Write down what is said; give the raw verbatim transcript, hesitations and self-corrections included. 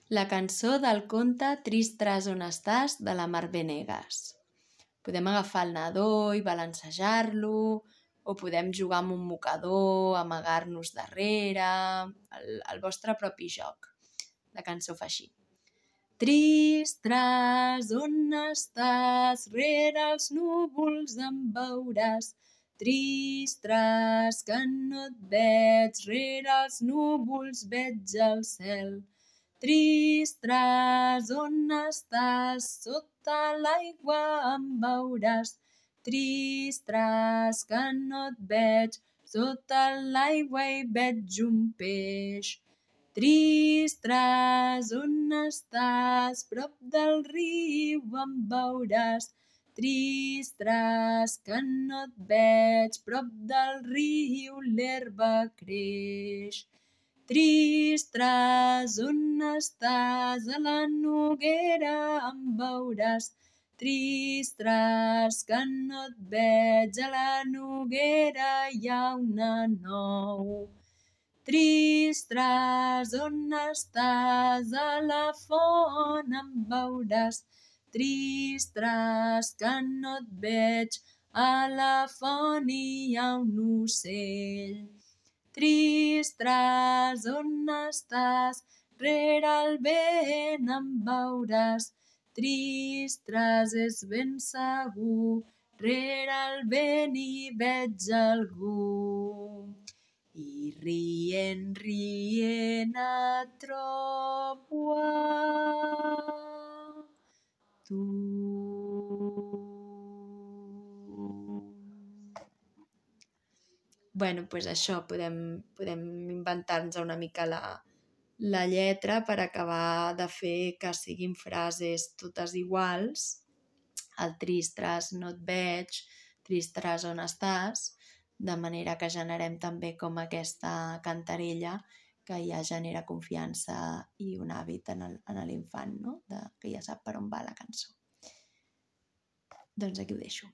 La cançó del conte Tristres on estàs de la Mar Venegas. Podem agafar el nadó i balancejar-lo, o podem jugar amb un mocador, amagar-nos darrere, el, el vostre propi joc. La cançó fa així. Tristres, on estàs? Rere els núvols em veuràs. Tristres, que no et veig, rere els núvols veig el cel. Tristres, on estàs? Sota l'aigua em veuràs. Tristres, que no et veig, sota l'aigua hi veig un peix. Tristres, on estàs? Prop del riu em veuràs. Tristres, que no et veig, prop del riu l'herba creix. Tristres, on estàs? A la noguera em veuràs. Tristres, que no et veig, a la noguera hi ha una nou. Tristres, on estàs? A la font em veuràs. Tristres, que no et veig, a la font hi ha un ocell. Tristres, on estàs? Rere el vent em veuràs. Tristres, és ben segur, rere el vent hi veig algú. I rient, rient et trobo a tu. Bueno, doncs això, podem, podem inventar-nos una mica la, la lletra per acabar de fer que siguin frases totes iguals. El tristres, no et veig, tristres, on estàs? De manera que generem també com aquesta cantarella que ja genera confiança i un hàbit en l'infant, no? De, que ja sap per on va la cançó. Doncs aquí ho deixo.